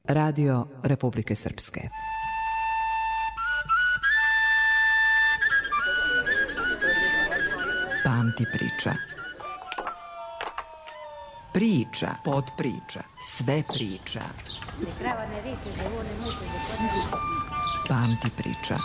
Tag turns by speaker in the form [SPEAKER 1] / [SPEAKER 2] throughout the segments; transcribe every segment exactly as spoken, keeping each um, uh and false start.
[SPEAKER 1] Radio Republike Srpske. Pamti priča. Priča, podpriča, sve priča. Pamti priča.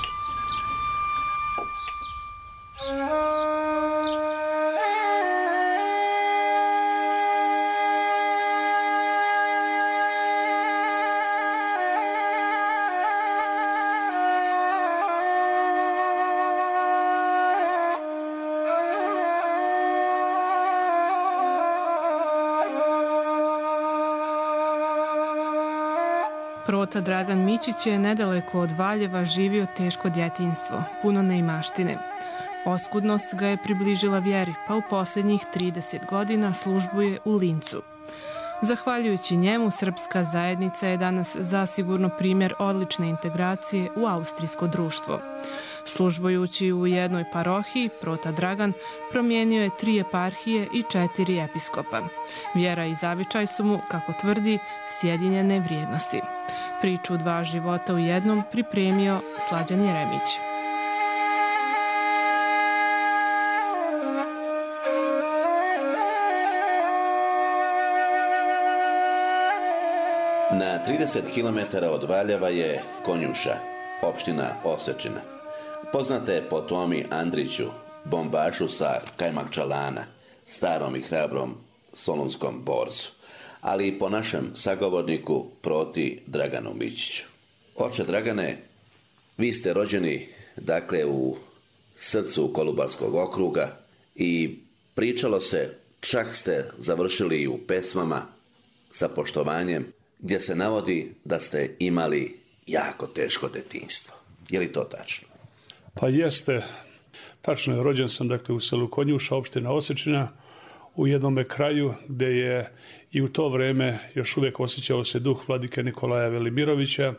[SPEAKER 2] Prota Dragan Mićić je nedaleko od Valjeva živio teško djetinjstvo, puno neimaštine. Oskudnost ga je približila vjeri, pa u posljednjih trideset godina službuje u Lincu. Zahvaljujući njemu, srpska zajednica je danas zasigurno primjer odlične integracije u austrijsko društvo. Službujući u jednoj parohiji, Prota Dragan promijenio je tri eparhije i četiri episkopa. Vjera i zavičaj su mu, kako tvrdi, sjedinjene vrijednosti. Priču dva života u jednom pripremio Slađan Jeremić.
[SPEAKER 3] Na trideset kilometara od Valjeva je Konjuša, opština Osečina. Poznata je po Tomi Andriću, bombašu sa Kajmakčalana, starom i hrabrom solunskom borcu, ali i po našem sagovorniku Proti Draganu Mićiću. Oče Dragane, vi ste rođeni, dakle, u srcu Kolubarskog okruga i pričalo se, čak ste završili u pesmama sa poštovanjem, gdje se navodi da ste imali jako teško detinjstvo. Je li to tačno?
[SPEAKER 4] Pa jeste. Tačno je, rođen sam dakle u selu Konjuša, opština Osečina, u jednome kraju gdje je i u to vrijeme još uvijek osjećao se duh vladike Nikolaja Velimirovića.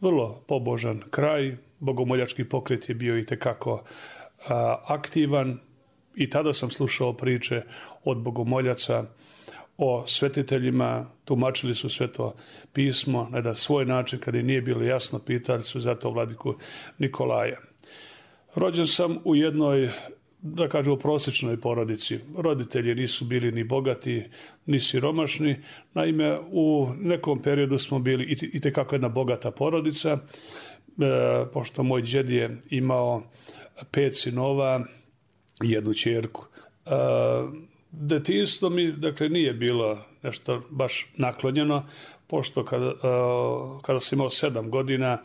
[SPEAKER 4] Vrlo pobožan kraj, bogomoljački pokret je bio itekako a, aktivan i tada sam slušao priče od bogomoljaca o svetiteljima, tumačili su Sveto pismo na jedan svoj način, kada im nije bilo jasno, pitali su zato vladiku Nikolaja. Rođen sam u jednoj, da kažemo, prosječnoj porodici. Roditelji nisu bili ni bogati, ni siromašni. Naime, u nekom periodu smo bili itekako jedna bogata porodica, e, pošto moj džed je imao pet sinova i jednu ćerku. E, Detinjstvo mi, dakle, nije bilo nešto baš naklonjeno, pošto kada, uh, kada sam imao sedam godina,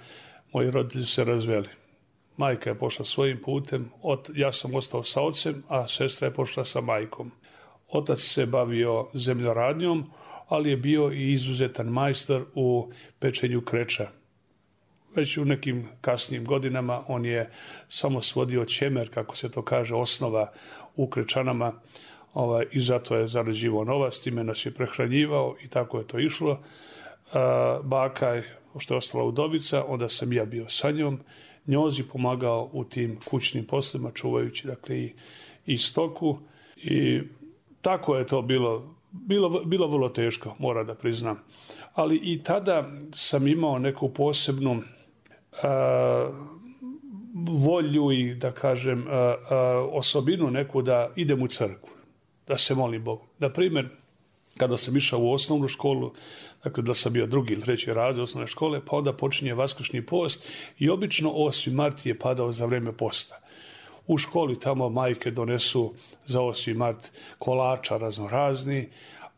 [SPEAKER 4] moji roditelji se razveli. Majka je pošla svojim putem, ot, ja sam ostao sa ocem, a sestra je pošla sa majkom. Otac se bavio zemljoradnjom, ali je bio i izuzetan majstor u pečenju kreča. Već u nekim kasnijim godinama on je samo svodio ćemer, kako se to kaže, osnova u krečanama, Ovaj, i zato je zarađivao novac, time nas je prehranjivao i tako je to išlo. A, baka je, što je ostala udovica, onda sam ja bio sa njom, njozi pomagao u tim kućnim poslima, čuvajući dakle i, i stoku i tako je to bilo, bilo, bilo vrlo teško, moram da priznam. Ali i tada sam imao neku posebnu a, volju i da kažem a, a, osobinu neku da idem u crkvu, da se molim Bogu. Na primjer, kada sam išao u osnovnu školu, dakle da sam bio drugi ili treći razred osnovne škole, pa onda počinje vaskršnji post i obično osmi mart je padao za vrijeme posta. U školi tamo majke donesu za osmi mart kolača raznorazni,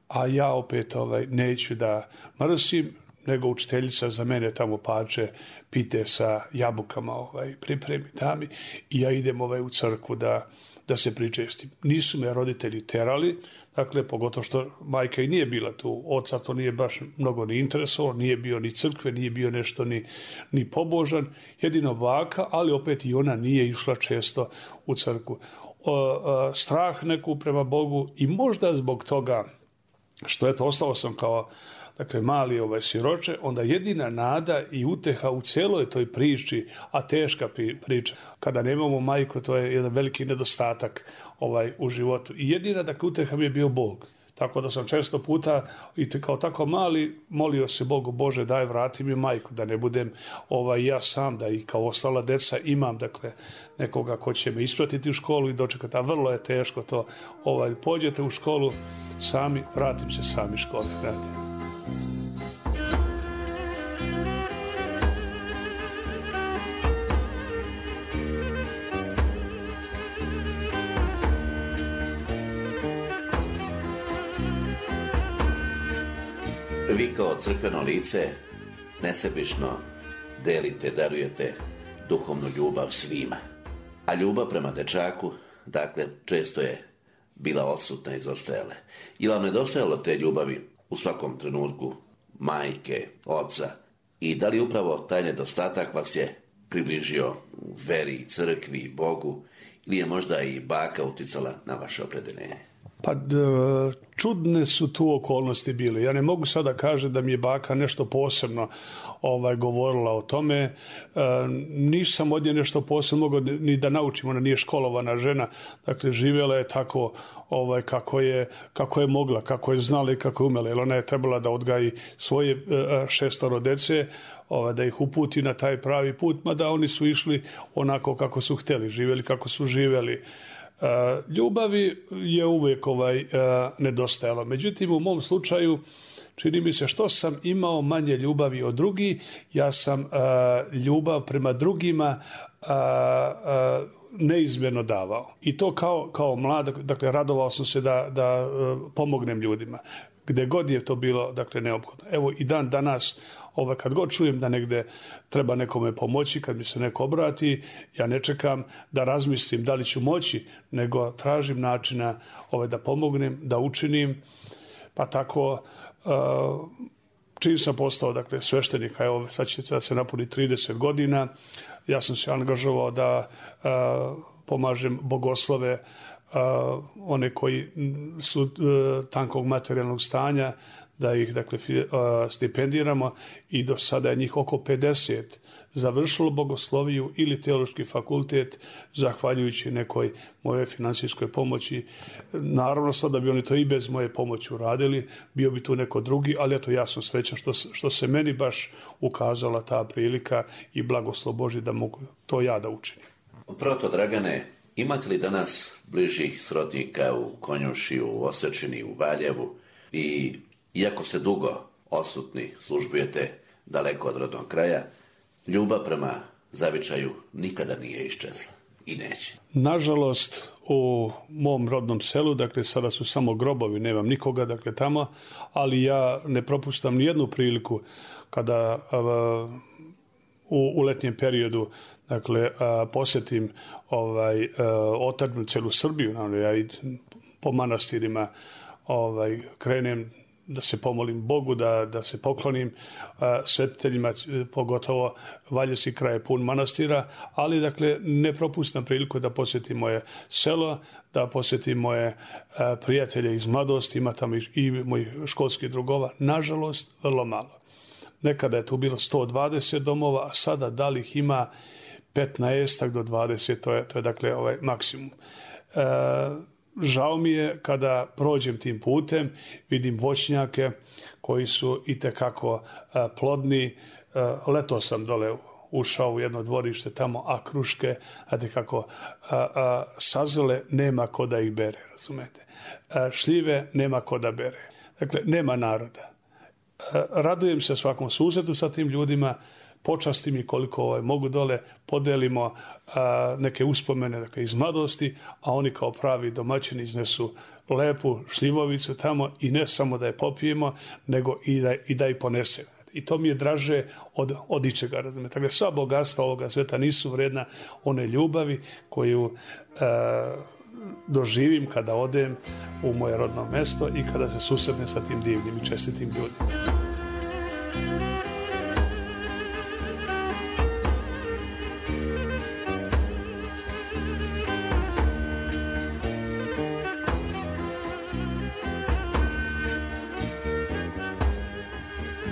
[SPEAKER 4] a ja opet ovaj, neću da mrsim, nego učiteljica za mene tamo pače pite sa jabukama ovaj, pripremi dami i ja idem ovaj, u crkvu da, da se pričestim. Nisu me roditelji terali, dakle, pogotovo što majka i nije bila tu, oca to nije baš mnogo ni interesovalo, nije bio ni crkve, nije bio nešto ni, ni pobožan, jedino baka, ali opet i ona nije išla često u crkvu. O, o, strah neku prema Bogu i možda zbog toga što eto, ostao sam kao dakle mali ovaj siroče, onda jedina nada i uteha u cijeloj toj priči, a teška priča, kada nemamo majku, to je jedan veliki nedostatak ovaj u životu. I jedina dakle uteha mi je bio Bog. Tako da sam često puta i kao tako mali molio se Bogu, Bože daj vrati mi majku, da ne budem ovaj, ja sam, da i kao ostala deca imam dakle nekoga ko će me ispratiti u školu i dočekati, a vrlo je teško to, ovaj, pođete u školu sami, vratim se sami škole, znate.
[SPEAKER 3] Vi kao crkveno lice nesebično delite, darujete duhovnu ljubav svima. A ljubav prema dečaku, dakle, često je bila odsutna i izostajala. I vam nedostajalo te ljubavi u svakom trenutku majke, oca? I da li upravo taj nedostatak vas je približio veri, crkvi, Bogu? Ili je možda i baka uticala na vaše opredeljenje?
[SPEAKER 4] Pa čudne su tu okolnosti bile. Ja ne mogu sada kažem da mi je baka nešto posebno ovaj, govorila o tome. E, nisam od nje nešto posebno mogao ni da naučim. Ona nije školovana žena. Dakle, živjela je tako ovaj, kako, je, kako je mogla, kako je znala i kako je umela. Jer ona je trebala da odgaji svoje e, šestoro dece, ovaj, da ih uputi na taj pravi put, mada oni su išli onako kako su htjeli, živjeli kako su živjeli. Uh, ljubavi je uvijek ovaj, uh, nedostajalo. Međutim, u mom slučaju čini mi se što sam imao manje ljubavi od drugih, ja sam uh, ljubav prema drugima uh, uh, neizmjerno davao. I to kao, kao mlad, dakle, radovao sam se da, da uh, pomognem ljudima. Gde god je to bilo, dakle, neophodno. Evo i dan danas, ovaj, kad god čujem da negde treba nekome pomoći, kad mi se neko obrati, ja ne čekam da razmislim da li ću moći, nego tražim načina ovaj, da pomognem, da učinim. Pa tako, uh, čim sam postao, dakle, sveštenik, a evo sad će da se napuni trideset godina, ja sam se angažovao da uh, pomažem bogoslove, Uh, one koji su uh, tankog materijalnog stanja, da ih dakle uh, stipendiramo i do sada je njih oko pedeset završilo bogosloviju ili teološki fakultet zahvaljujući nekoj moje financijskoj pomoći. Naravno sad da bi oni to i bez moje pomoći uradili, bio bi tu neko drugi, ali eto ja sam srećan što, što se meni baš ukazala ta prilika i blagoslov Božji da mogu to ja da učinim.
[SPEAKER 3] Proto Dragane, imate li danas bližih srodnika u Konjuši, u Osečini, u Valjevu i iako ste dugo odsutni, službujete daleko od rodnog kraja, ljubav prema zavičaju nikada nije iščezla i neće?
[SPEAKER 4] Nažalost, u mom rodnom selu, dakle sada su samo grobovi, nemam nikoga dakle tamo, ali ja ne propustam ni jednu priliku kada uh, u, u letnjem periodu dakle a, posjetim ovaj otačnu celu Srbiju, naravno ja idem po manastirima, ovaj krenem da se pomolim Bogu, da, da se poklonim a, svetiteljima, pogotovo Valjevski kraj je pun manastira, ali dakle ne propustam priliku da posjetim moje selo, da posjetim moje a, prijatelje iz mladosti, ima tamo i, i mojih školskih drugova, nažalost vrlo malo. Nekada je tu bilo sto dvadeset domova, a sada da li ih ima petnaest do dvadeset, to je, to je dakle ovaj maksimum. E, žao mi je kada prođem tim putem, vidim voćnjake koji su itekako e, plodni. E, leto sam dole ušao u jedno dvorište tamo, a kruške, znate kako, a, a, sazele nema ko da ih bere, razumete. A, šljive nema ko da bere. Dakle, nema naroda. A, radujem se svakom susretu sa tim ljudima, počastim i koliko ovaj, mogu dole, podelimo a, neke uspomene dakle, iz mladosti, a oni kao pravi domaćini iznesu lepu šljivovicu tamo i ne samo da je popijemo, nego i da, i da je ponesemo. I to mi je draže od, od ičega, razumijete. Dakle, sva bogatstva ovoga sveta nisu vredna one ljubavi koju e, doživim kada odem u moje rodno mesto i kada se susretnem sa tim divnim i čestitim ljudima.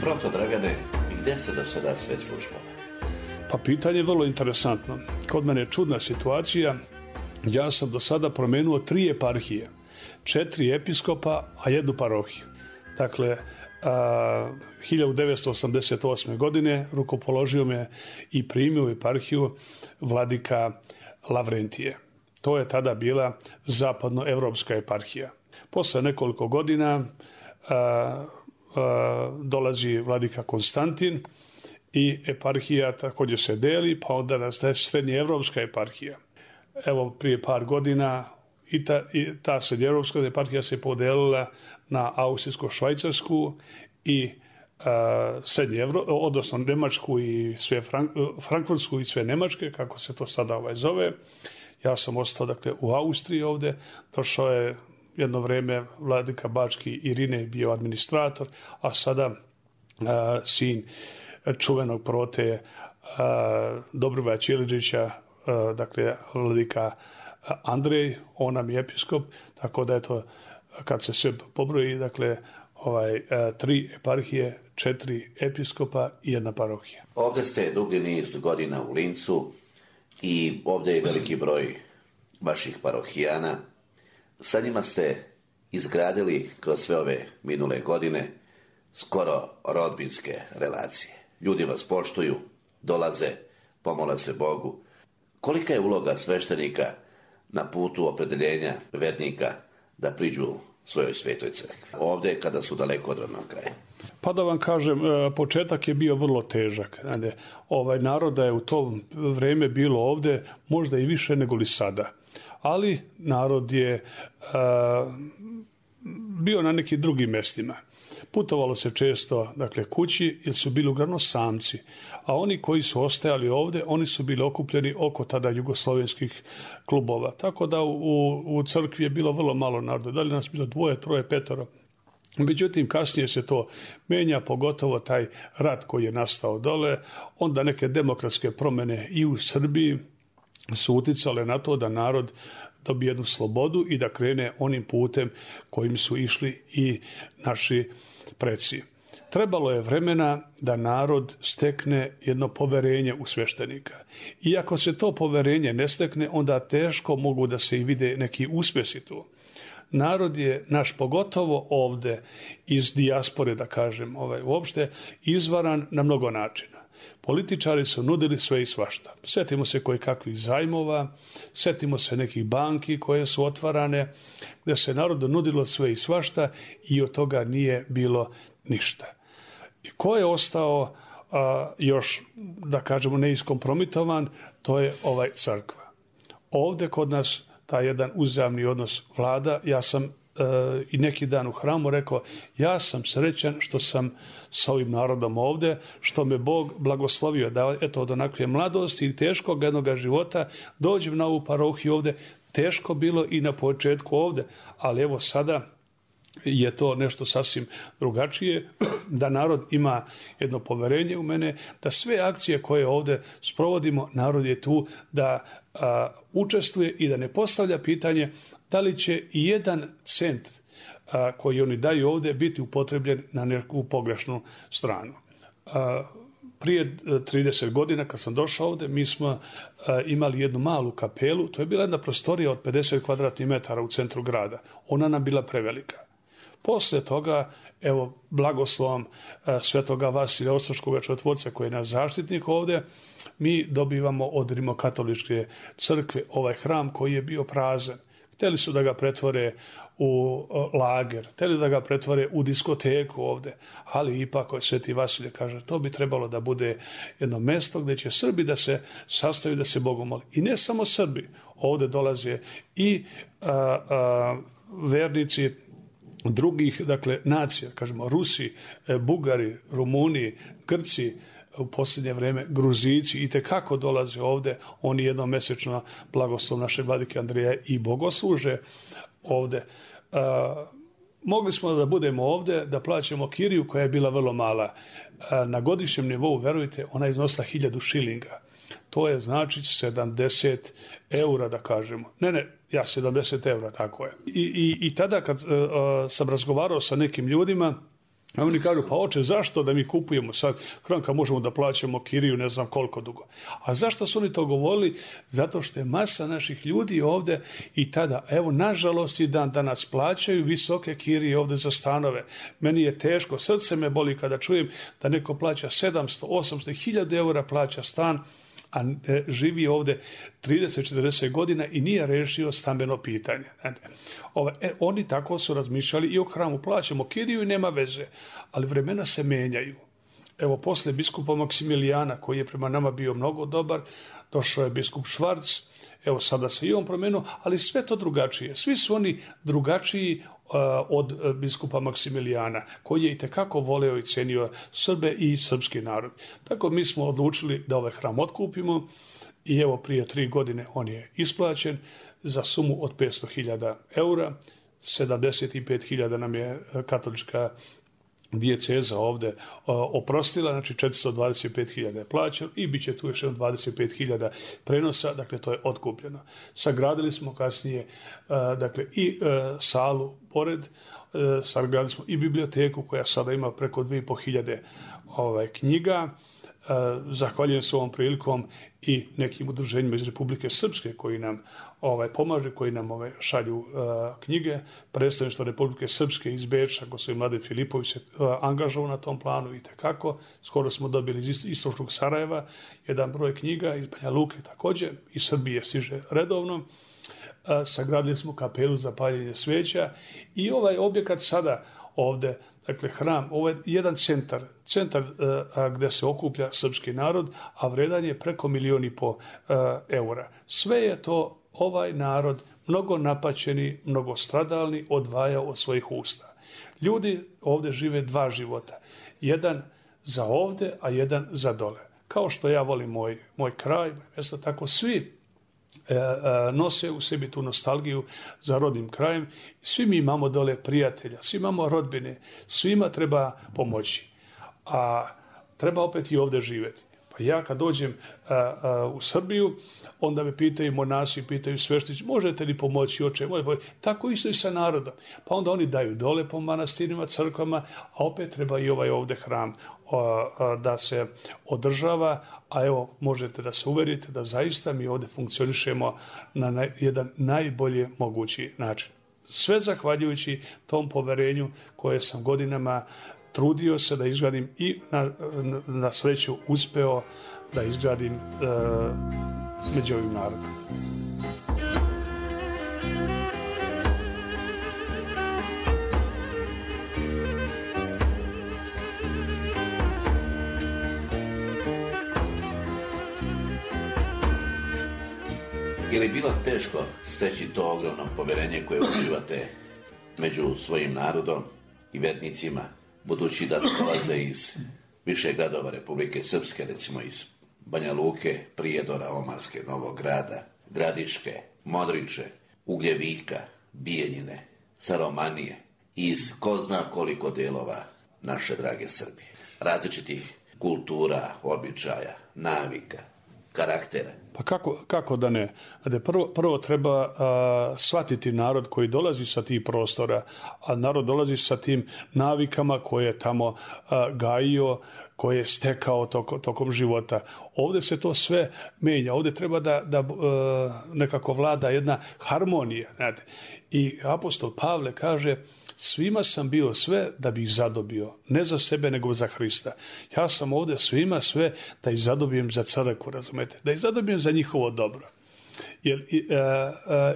[SPEAKER 3] Proto, Dragane, gdje se do sada sve službalo?
[SPEAKER 4] Pa pitanje je vrlo interesantno. Kod mene je čudna situacija. Ja sam do sada promenuo tri eparhije. četiri episkopa, a jednu parohiju. Dakle, a, hiljadu devetsto osamdeset osme. godine rukopoložio me i primio u eparhiju vladika Lavrentije. To je tada bila zapadnoevropska eparhija. Posle nekoliko godina a, a, dolazi vladika Konstantin i eparhija također se deli, pa onda nastaje srednjeevropska eparhija. Evo, prije par godina i ta, i ta srednjeevropska eparhija se podelila na austrijsko-švajcarsku i a, srednje Evro, odnosno Njemačku i sve Frank, Frankfurtsku i sve Njemačke, kako se to sada ovaj zove. Ja sam ostao dakle u Austriji ovdje, došao je jedno vrijeme vladika Bački Irine bio administrator, a sada a, sin čuvenog prote a, Dobrivoja Ćiličića, a, dakle vladika Andrej, on nam je episkop, tako da je to, kad se sve pobroji, dakle, ovaj, a, tri eparhije, četiri episkopa i jedna parohija.
[SPEAKER 3] Ovdje ste dugi niz godina u Lincu i ovdje je veliki broj vaših parohijana. Sa njima ste izgradili kroz sve ove minule godine skoro rodbinske relacije. Ljudi vas poštuju, dolaze, pomole se Bogu. Kolika je uloga sveštenika na putu opredeljenja vernika da priđu svojoj svetoj crkvi? Ovdje kada su daleko od rodnog kraja.
[SPEAKER 4] Pa da vam kažem, početak je bio vrlo težak. Ovaj naroda je u to vrijeme bilo ovdje možda i više nego li sada. Ali narod je a, bio na nekim drugim mjestima. Putovalo se često, dakle, kući, jer su bili uglavnom samci. A oni koji su ostajali ovdje, oni su bili okupljeni oko tada jugoslovenskih klubova. Tako da u, u crkvi je bilo vrlo malo naroda. Da li nas bilo dvoje, troje, petoro. Međutim, kasnije se to menja, pogotovo taj rat koji je nastao dole. Onda neke demokratske promjene i u Srbiji su uticale na to da narod dobije jednu slobodu i da krene onim putem kojim su išli i naši preci. Trebalo je vremena da narod stekne jedno poverenje u sveštenika. I ako se to poverenje ne stekne, onda teško mogu da se i vide neki uspjesi tu. Narod je naš, pogotovo ovdje iz dijaspore, da kažem, ovaj, uopšte izvaran na mnogo načina. Političari su nudili sve i svašta. Sjetimo se koje kakvih zajmova, sjetimo se nekih banki koje su otvarane, gdje se narodu nudilo sve i svašta i od toga nije bilo ništa. I ko je ostao a, još, da kažemo, neiskompromitovan, to je ovaj crkva. Ovdje kod nas taj jedan uzajamni odnos vlada. Ja sam e, i neki dan u hramu rekao, ja sam srećan što sam sa ovim narodom ovdje, što me Bog blagoslovio da eto od onakve mladosti i teškog jednog života dođem na ovu parohiju ovdje. Teško bilo i na početku ovdje, ali evo sada je to nešto sasvim drugačije, da narod ima jedno poverenje u mene, da sve akcije koje ovdje sprovodimo, narod je tu da a, učestvuje i da ne postavlja pitanje da li će i jedan cent a, koji oni daju ovdje biti upotrebljen na neku pogrešnu stranu. A, prije trideset godina kad sam došao ovdje, mi smo a, imali jednu malu kapelu, to je bila jedna prostorija od pedeset kvadratnih metara u centru grada. Ona nam bila prevelika. Poslije toga, evo, blagoslovom e, svetoga Vasilija Ostroškoga čudotvorca koji je naš zaštitnik ovdje, mi dobivamo od Rimokatoličke crkve ovaj hram koji je bio prazan. Htjeli su da ga pretvore u o, lager, htjeli da ga pretvore u diskoteku ovdje, ali ipak sveti Vasilije kaže, to bi trebalo da bude jedno mjesto gdje će Srbi da se sastaju, da se Bogu moli. I ne samo Srbi, ovdje dolaze i a, a, vernici drugih, dakle, nacija, kažemo Rusi, Bugari, Rumuni, Grci, u posljednje vrijeme Gruzici i tekako dolaze ovdje, oni jednomjesečno blagoslov naše vladike Andreja i bogosluže ovdje. A, mogli smo da budemo ovdje, da plaćamo kiriju koja je bila vrlo mala. A, na godišnjem nivou, verujte, ona je iznosila hiljadu šilinga. To je znači sedamdeset eura, da kažemo. Ne, ne, ja sedamdeset eura, tako je. I, i, i tada kad uh, sam razgovarao sa nekim ljudima, A oni kažu, pa oče, zašto da mi kupujemo sad hram kad možemo da plaćamo kiriju ne znam koliko dugo. A zašto su oni to govorili? Zato što je masa naših ljudi ovde i tada, evo, nažalost i dan danas plaćaju visoke kirije ovde za stanove. Meni je teško, srce me boli kada čujem da neko plaća sedamsto, osamsto, hiljadu eura plaća stan, a živi ovde trideset četrdeset godina i nije rešio stambeno pitanje. Ove, e, oni tako su razmišljali i o hramu. Plaćamo kiriju i nema veze, ali vremena se menjaju. Evo, posle biskupa Maksimilijana, koji je prema nama bio mnogo dobar, došao je biskup Švarc, evo sada se i on promenuo, ali sve to drugačije. Svi su oni drugačiji uh, od biskupa Maksimilijana, koji je i tekako voleo i cenio Srbe i srpski narod. Tako mi smo odlučili da ovaj hram otkupimo i evo prije tri godine on je isplaćen za sumu od petsto hiljada eura. sedamdeset pet hiljada nam je katolička dijeceza ovde oprostila, znači četiristo dvadeset pet hiljada je plaćeno i bit će tu još dvadeset pet hiljada prenosa, dakle to je otkupljeno. Sagradili smo kasnije dakle i salu pored, sagradili smo i biblioteku koja sada ima preko dvije i po hiljade ovaj, knjiga. Zahvaljujem se ovom prilikom i nekim udruženjima iz Republike Srpske koji nam ovaj, pomažu, koji nam ovaj, šalju uh, knjige. Predstavništvo Republike Srpske iz Beča, gospodin Mladen Filipović se uh, angažovao na tom planu i tekako. Skoro smo dobili iz istočnog Sarajeva jedan broj knjiga, iz Banja Luke također, iz Srbije stiže redovno. Uh, sagradili smo kapelu za paljenje sveća i ovaj objekat sada ovde, dakle hram, ovo je jedan centar, centar uh, gde se okuplja srpski narod, a vredan je preko milion i po uh, eura. Sve je to ovaj narod, mnogo napaćeni, mnogo stradalni, odvajao od svojih usta. Ljudi ovde žive dva života. Jedan za ovde, a jedan za dole. Kao što ja volim moj, moj kraj, mjesto, tako svi E, e, nose u sebi tu nostalgiju za rodnim krajem. Svi mi imamo dole prijatelja, svi imamo rodbine, svima treba pomoći. A treba opet i ovde živjeti. Pa ja kad dođem a, a, u Srbiju, onda me pitaju monasi, pitaju sveštenici, možete li pomoći oče? Tako isto i sa narodom. Pa onda oni daju dole po manastirima, crkvama, a opet treba i ovaj ovde hram a, a, da se održava, a evo možete da se uverite da zaista mi ovde funkcionišemo na naj, jedan najbolje mogući način. Sve zahvaljujući tom poverenju koje sam godinama trudio se da izgradim i na, na sreću uspeo da izgradim e, među ovim narodom.
[SPEAKER 3] Je li bilo teško steći to ogromno poverenje koje uživate među svojim narodom i vernicima, budući da dolaze iz više gradova Republike Srpske, recimo iz Banja Luke, Prijedora, Omarske, Novog Grada, Gradiške, Modriče, Ugljevika, Bijeljine, Saromanije, iz ko zna koliko delova naše drage Srbije. Različitih kultura, običaja, navika, karaktera.
[SPEAKER 4] Pa kako, kako da ne? Prvo, prvo treba a, shvatiti narod koji dolazi sa tih prostora, a narod dolazi sa tim navikama koje je tamo a, gajio, koje je stekao toko, tokom života. Ovde se to sve menja. Ovde treba da, da a, nekako vlada jedna harmonija. Znate. I apostol Pavle kaže: svima sam bio sve da bi ih zadobio, ne za sebe nego za Hrista. Ja sam ovde svima sve da ih zadobijem za crkvu, razumete, da ih zadobijem za njihovo dobro. Jer e, e,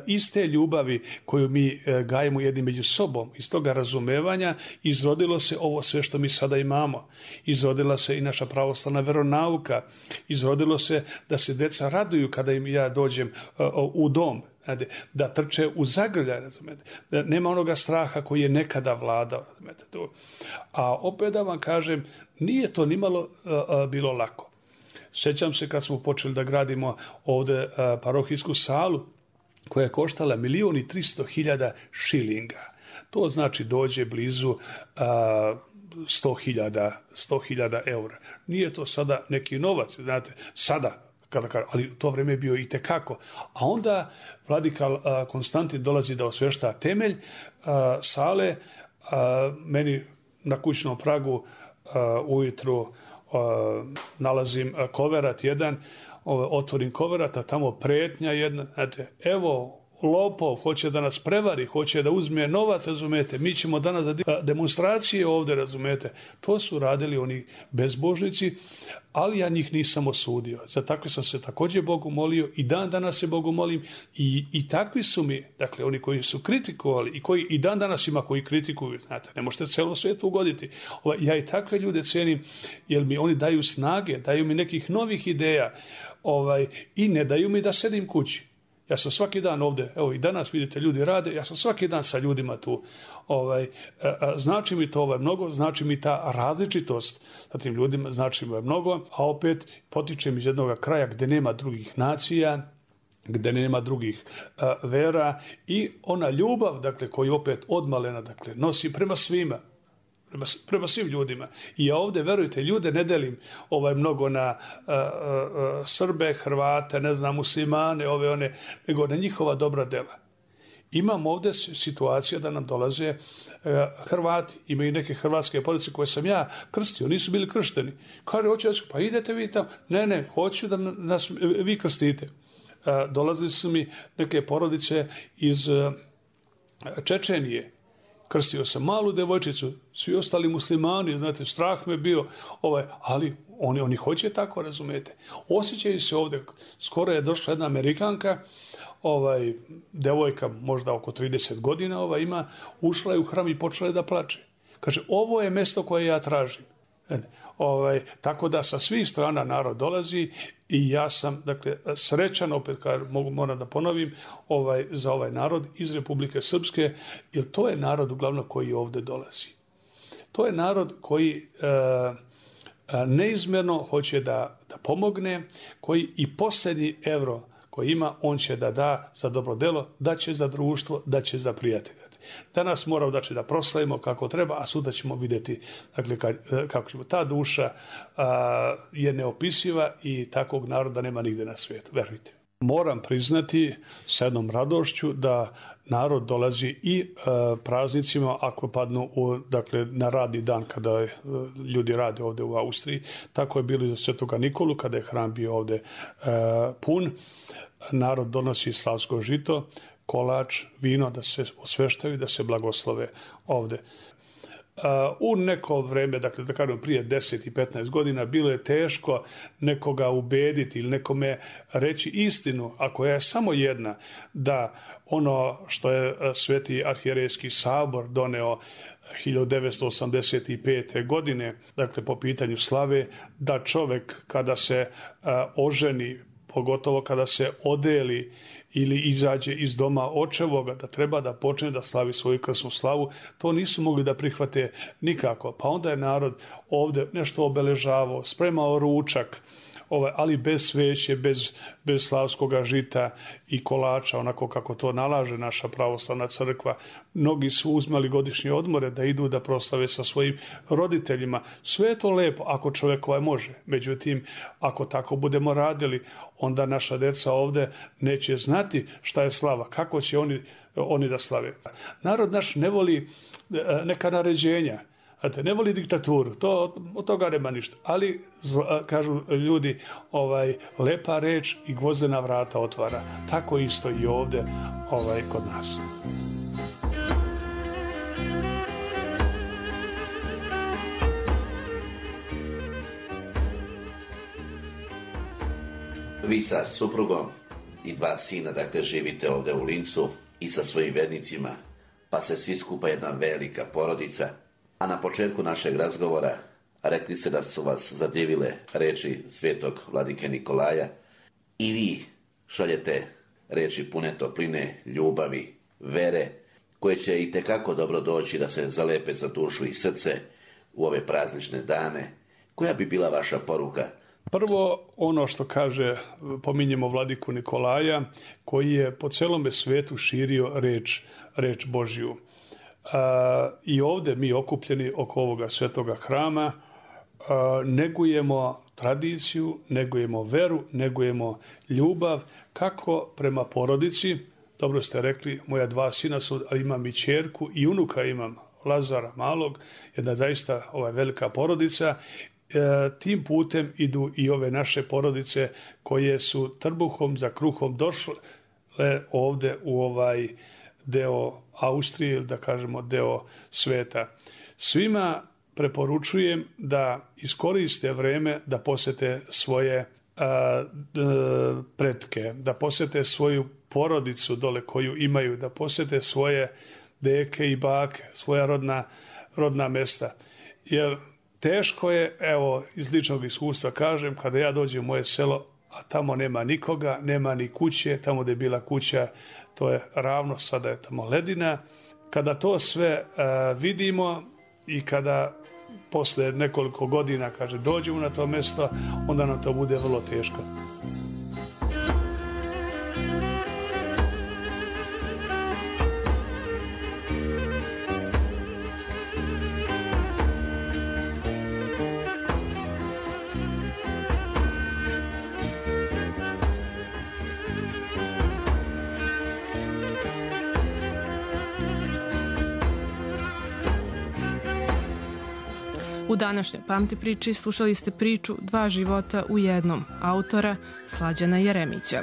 [SPEAKER 4] iz te ljubavi koju mi e, gajemo jedni među sobom, iz toga razumevanja izrodilo se ovo sve što mi sada imamo. Izrodila se i naša pravoslavna veronauka, izrodilo se da se deca raduju kada im ja dođem e, u dom, da trče u zagrljaj, razumete, da nema onoga straha koji je nekada vladao, razumete. A opet da vam kažem, nije to nimalo a, a, bilo lako. Sjećam se kad smo počeli da gradimo ovde a, parohijsku salu koja je koštala milion i tristo hiljada šilinga. To znači dođe blizu a, sto hiljada eura. Nije to sada neki novac, znate, sada, kada, ali u to vrijeme je bio i tekako. A onda vladika Konstantin dolazi da osvešta temelj a, sale, a, meni na kućnom pragu uh, ujutru uh, nalazim koverat jedan, uh, otvorim koverat, a tamo pretnja jedna, znate, evo, lopov, hoće da nas prevari, hoće da uzme novac, razumete, mi ćemo danas da demonstracije ovdje, razumete. To su radili oni bezbožnici, ali ja njih nisam osudio. Za takve sam se također Bogu molio i dan danas se Bogu molim i, i takvi su mi, dakle, oni koji su kritikovali i koji i dan danas ima koji kritikuju, znate, ne možete celom svijetu ugoditi. Ovaj, ja i takve ljude cenim, jer mi oni daju snage, daju mi nekih novih ideja, ovaj, i ne daju mi da sedim kući. Ja sam svaki dan ovdje, evo i danas vidite ljudi rade, ja sam svaki dan sa ljudima tu. Ovaj, znači mi to ovaj mnogo, znači mi ta različitost sa tim ljudima, znači mi ovaj mnogo, a opet potičem iz jednog kraja gdje nema drugih nacija, gdje nema drugih uh, vera i ona ljubav, dakle, koju opet odmalena, dakle, nosi prema svima. Prema, prema svim ljudima. I ja ovdje, verujte, ljude ne delim ovaj, mnogo na uh, uh, Srbe, Hrvate, ne znam, muslimane, ove one, nego na njihova dobra dela. Imam ovdje situacija da nam dolaze uh, Hrvati, imaju neke hrvatske porodice koje sam ja krstio, nisu bili kršteni. Kaže, hoću, pa idete vi tamo. Ne, ne, hoću da nas vi krstite. Uh, dolazili su mi neke porodice iz uh, Čečenije. Krstio sam malu devojčicu, svi ostali muslimani, znate, strah me bio, ovaj, ali oni, oni hoće tako, razumete. Osjećaju se ovdje, skoro je došla jedna Amerikanka, ovaj, devojka možda oko trideset godina, ovaj, ima, ušla je u hram i počela je da plače. Kaže, ovo je mjesto koje ja tražim. Ovaj, tako da sa svih strana narod dolazi i ja sam, dakle, srećan, opet kad mogu, moram da ponovim, ovaj, za ovaj narod iz Republike Srpske, jer to je narod uglavnom koji ovdje dolazi. To je narod koji e, neizmjerno hoće da, da pomogne, koji i posljednji evro koji ima, on će da da za dobro delo, da će za društvo, da će za prijatelja. Danas moramo, znači, da proslavimo kako treba, a sutra ćemo vidjeti, dakle, kako ćemo. Ta duša a, je neopisiva i takvog naroda nema nigdje na svijetu, verujte. Moram priznati sa jednom radošću da narod dolazi i a, praznicima ako padnu u, dakle, na radni dan kada a, ljudi rade ovdje u Austriji. Tako je bilo i za Svetoga Nikolu kada je hram bio ovdje a, pun. Narod donosi slavsko žito, kolač, vino, da se osveštaju, da se blagoslove ovdje. Uh, u neko vreme, dakle da kažem prije deset i petnaest godina, bilo je teško nekoga ubediti ili nekome reći istinu, ako je samo jedna, da ono što je Sveti arhijerejski sabor doneo hiljadu devetsto osamdeset pete. godine, dakle po pitanju slave, da čovjek kada se uh, oženi, pogotovo kada se odeli ili izađe iz doma očevoga, da treba da počne da slavi svoju krsnu slavu, to nisu mogli da prihvate nikako. Pa onda je narod ovdje nešto obeležavao, spremao ručak, ovaj, ali bez sveće, bez, bez slavskoga žita i kolača, onako kako to nalaže naša pravoslavna crkva. Mnogi su uzmali godišnje odmore da idu da proslave sa svojim roditeljima. Sve je to lepo ako čovjek ovaj može. Međutim, ako tako budemo radili, onda naša deca ovdje neće znati šta je slava, kako će oni, oni da slave. Narod naš ne voli neka naređenja, ne voli diktaturu, to, od toga nema ništa. Ali, kažu ljudi, ovaj, lepa reč i gvozdena vrata otvara. Tako isto i ovdje ovaj, kod nas.
[SPEAKER 3] Vi sa suprugom i dva sina, dakle, živite ovdje u Lincu i sa svojim vernicima, pa se svi skupa jedna velika porodica. A na početku našeg razgovora rekli ste da su vas zadivile reči svetog vladike Nikolaja i vi šaljete reči pune topline, ljubavi, vere, koje će i tekako dobro doći da se zalepe za dušu i srce u ove praznične dane. Koja bi bila vaša poruka?
[SPEAKER 4] Prvo, ono što kaže, pominjemo vladiku Nikolaja, koji je po celome svetu širio reč, reč Božju. A, i ovdje mi okupljeni oko ovoga svetoga hrama a, negujemo tradiciju, negujemo veru, negujemo ljubav, kako prema porodici, dobro ste rekli, moja dva sina su, ali imam i ćerku i unuka imam, Lazara Malog, jedna zaista ovaj, velika porodica. E, tim putem idu i ove naše porodice koje su trbuhom za kruhom došle ovde u ovaj deo Austrije ili da kažemo deo sveta. Svima preporučujem da iskoriste vreme da posete svoje a, d, pretke, da posete svoju porodicu dole koju imaju, da posete svoje deke i bake, svoja rodna, rodna mesta. Jer teško je, evo, iz ličnog iskustva kažem, kada ja dođem u moje selo, a tamo nema nikoga, nema ni kuće, tamo gdje je bila kuća, to je ravno, sada je tamo ledina. Kada to sve uh, vidimo i kada posle nekoliko godina, kaže, dođemo na to mjesto, onda nam to bude vrlo teško.
[SPEAKER 2] U današnjoj Pamti priči slušali ste priču Dva života u jednom, autora Slađana Jeremića.